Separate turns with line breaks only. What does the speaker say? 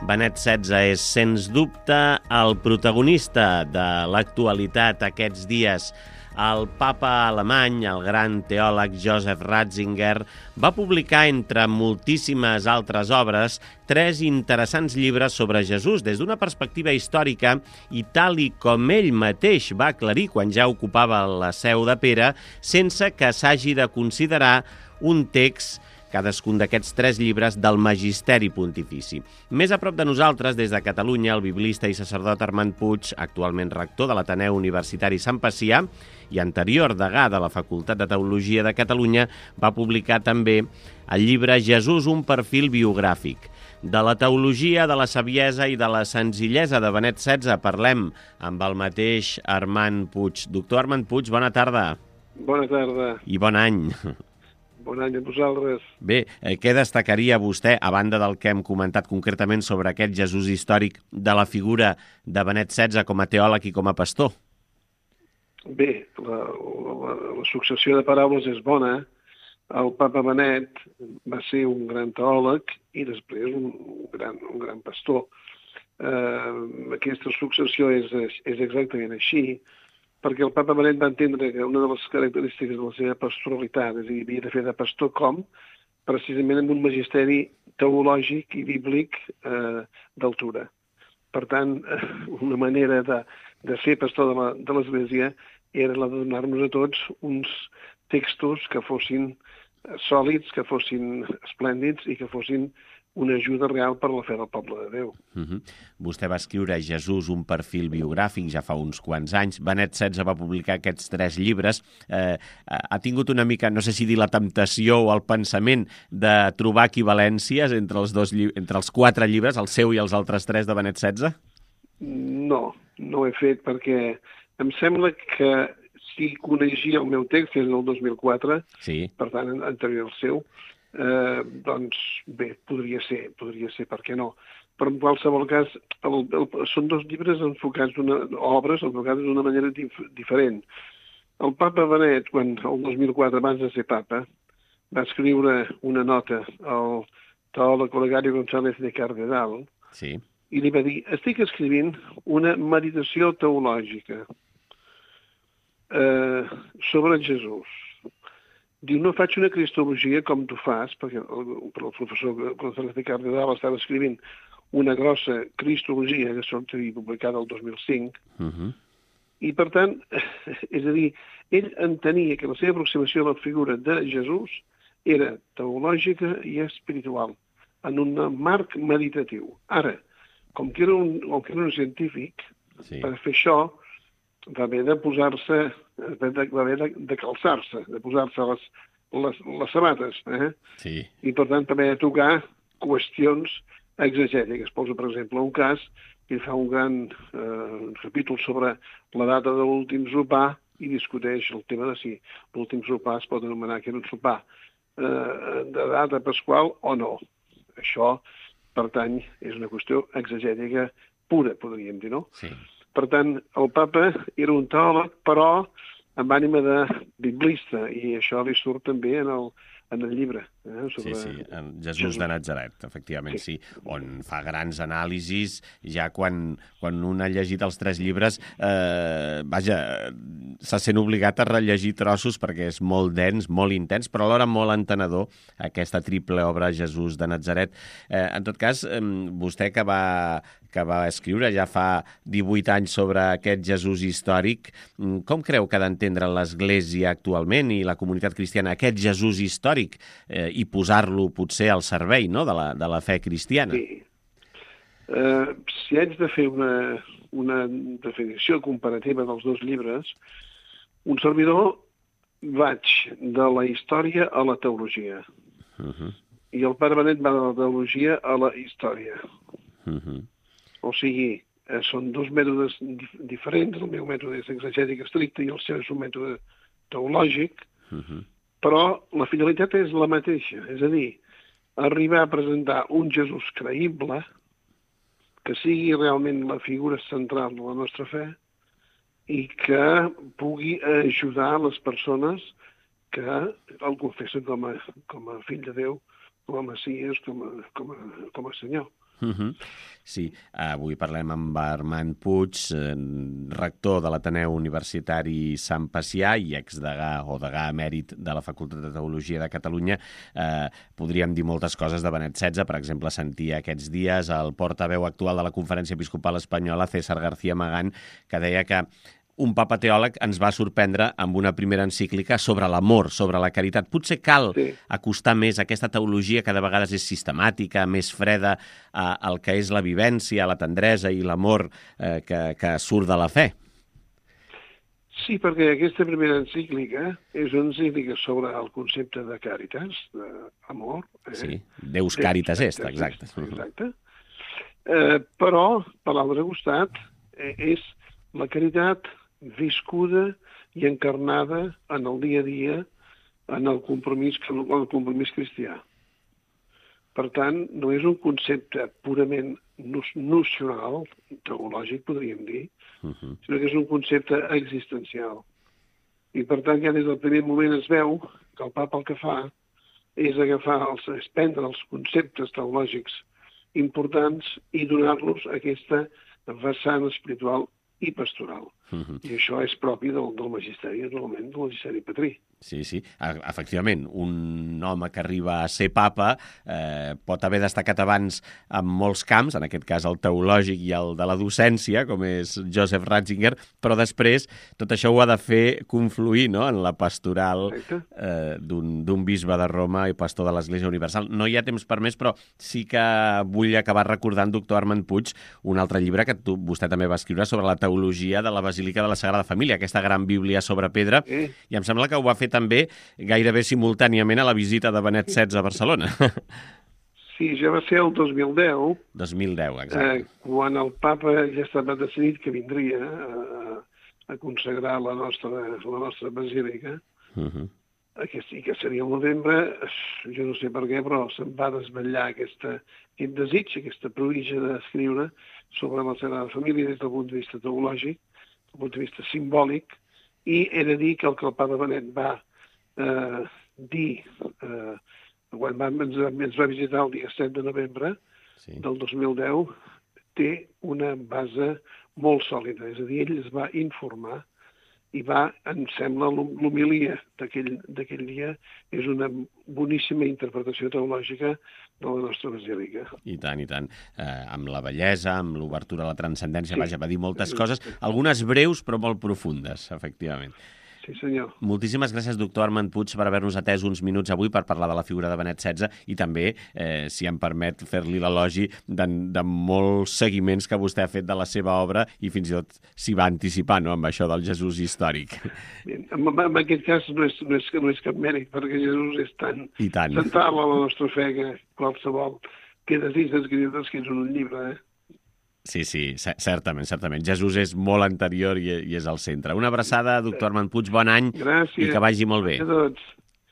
Benet XVI és, sens dubte, el protagonista de l'actualitat aquests dies. El papa alemany, el gran teòleg Joseph Ratzinger, va publicar, entre moltíssimes altres obres, 3 interessants llibres sobre Jesús des d'una perspectiva històrica i tal i com ell mateix va aclarir quan ja ocupava la seu de Pere, sense que s'hagi de considerar un text, cadascun d'aquests 3 llibres, del Magisteri Pontifici. Més a prop de nosaltres, des de Catalunya, el biblista i sacerdot Armand Puig, actualment rector de l'Ateneu Universitari Sant Pacià i anterior degà de la Facultat de Teologia de Catalunya, va publicar també el llibre Jesús, un perfil biogràfic. De la teologia, de la saviesa i de la senzillesa de Benet XVI parlem amb el mateix Armand Puig. Doctor Armand Puig, bona tarda.
Bona tarda.
I bon any.
Bon any a vosaltres.
Bé, què destacaria vostè, a banda del que hem comentat concretament sobre aquest Jesús històric, de la figura de Benet XVI com a teòleg i com a pastor?
Bé, la successió de paraules és bona. El papa Benet va ser un gran teòleg i després un gran pastor. Aquesta successió és exactament així, perquè el papa Benet va entendre que una de les característiques de la seva pastoralitat, és a dir, havia de fer de pastor precisament amb un magisteri teològic i bíblic d'altura. Per tant, una manera de ser pastor de l'Església era la de donar-nos a tots uns textos que fossin sòlids, que fossin esplèndids i que fossin una ajuda real per la fe del poble de Déu.
Vostè va escriure Jesús, un perfil biogràfic, ja fa uns quants anys. Benet XVI va publicar aquests 3 llibres. Ha tingut una mica, no sé si dir la temptació o el pensament, de trobar equivalències entre els 4 llibres, el seu i els altres 3 de Benet XVI?
No ho he fet perquè em sembla que si coneixia el meu text, que és del 2004,
sí.
Per tant, anterior al seu, doncs bé, podria ser, per què no? Però en qualsevol cas, són 2 llibres enfocats, obres enfocades d'una manera diferent. El papa Benet, quan el 2004, abans de ser papa, va escriure una nota al teòleg Olegario González de Cardenal,
sí.
I li va dir, estic escrivint una meditació teològica sobre Jesús. Diu, no faig una cristologia com tu fas, perquè el professor González de Cardenal estava escrivint una grossa cristologia que sortia publicada el 2005, i per tant, és a dir, ell entenia que la seva aproximació a la figura de Jesús era teològica i espiritual, en un marc meditatiu. Ara, com que era un científic, sí. Per fer això va haver de posar-se, va haver de calçar-se, de posar-se les sabates,
Sí.
I per tant també de tocar qüestions exegètiques. Posa, per exemple, un cas que fa un gran capítol sobre la data de l'últim sopar i discuteix el tema de si l'últim sopar es pot anomenar que era un sopar de data pasqual o no. Això, per tant, és una qüestió exegètica pura, podríem dir, no?
Sí.
Per tant, el papa era un teòleg, però amb ànima de biblista, i això li surt també en el llibre.
Sobre... Sí, en Jesús de Natzaret, efectivament, sí, on fa grans anàlisis, ja quan un ha llegit els 3 llibres, se sent obligat a rellegir trossos perquè és molt dens, molt intens, però alhora molt entenedor, aquesta triple obra Jesús de Natzaret. En tot cas, vostè que va escriure ja fa 18 anys sobre aquest Jesús històric, com creu que ha d'entendre l'Església actualment i la comunitat cristiana aquest Jesús històric i posar-lo potser al servei, no?, de la fe cristiana?
Sí. Si haig de fer una definició comparativa dels 2 llibres, un servidor vaig de la història a la teologia. I el pare Benet va de la teologia a la història. O sigui, són 2 mètodes diferents. El meu mètode és exegètic estricte i el seu és un mètode teològic, però la finalitat és la mateixa. És a dir, arribar a presentar un Jesús creïble que sigui realment la figura central de la nostra fe i que pugui ajudar les persones que el confessen com a fill de Déu, com a Messies, com a Senyor.
Sí, avui parlem amb Armand Puig, rector de l'Ateneu Universitari Sant Pacià i exdegà o degà emèrit de la Facultat de Teologia de Catalunya. Podríem dir moltes coses de Benet XVI, per exemple, sentia aquests dies el portaveu actual de la Conferència Episcopal Espanyola, César García Magán, que deia que un papa teòleg ens va sorprendre amb una primera encíclica sobre l'amor, sobre la caritat. Potser cal acostar més aquesta teologia que de vegades és sistemàtica, més freda, al que és la vivència, la tendresa i l'amor que surt de la fe.
Sí, perquè aquesta primera encíclica és una encíclica sobre el concepte de caritas, d'amor.
Sí, Deus caritas est, exacte.
Exacte. Però, per l'altre costat, és la caritat viscuda i encarnada en el dia a dia, en el compromís cristià. Per tant, no és un concepte purament nocional, teològic, podríem dir, sinó que és un concepte existencial. I, per tant, ja des del primer moment es veu que el papa el que fa és prendre els conceptes teològics importants i donar-los aquesta vessant espiritual i pastoral. I això és propi del magisteri, naturalment, del magisteri patrí.
Sí, sí, efectivament, un home que arriba a ser papa pot haver destacat abans en molts camps, en aquest cas el teològic i el de la docència, com és Joseph Ratzinger, però després tot això ho ha de fer confluir, no?, en la pastoral d'un bisbe de Roma i pastor de l'Església Universal. No hi ha temps per més, però sí que vull acabar recordant, doctor Armand Puig, un altre llibre que vostè també va escriure sobre la teologia de la Basílica de la Sagrada Família, aquesta gran bíblia sobre pedra, i em sembla que ho va fer també gairebé simultàniament a la visita de Benet XVI a Barcelona.
Sí, ja va ser el 2010.
2010, exacte.
Quan el papa ja estava decidit que vindria a consagrar la nostra basílica, que seria el novembre, jo no sé per què, però se'm va desvetllar aquest desig, aquesta provilla d'escriure sobre la Sagrada Família des del punt de vista teològic, des del punt de vista simbòlic, i he de dir que el papa Benet va dir, quan ens va visitar el dia 7 de novembre del 2010, té una base molt sòlida. És a dir, ell es va informar i em sembla, l'homilia d'aquell dia és una boníssima interpretació teològica de la nostra basílica.
I tant, i tant. Amb la bellesa, amb l'obertura a la transcendència, vaja, va dir moltes coses, algunes breus però molt profundes, efectivament.
Sí, senyor.
Moltíssimes gràcies, doctor Armand Puig, per haver-nos atès uns minuts avui per parlar de la figura de Benet XVI i també, si em permet, fer-li l'elogi de molts seguiments que vostè ha fet de la seva obra i fins i tot s'hi va anticipar, no?, amb això del Jesús històric.
En aquest cas no és cap mèrit, perquè Jesús és tan central a la nostra fe que qualsevol que desig d'escriure és un llibre,
Sí, certament. Jesús és molt anterior i és al centre. Una abraçada, doctor Armand Puig, bon any.
Gràcies.
I que vagi molt bé.
Gràcies a tots.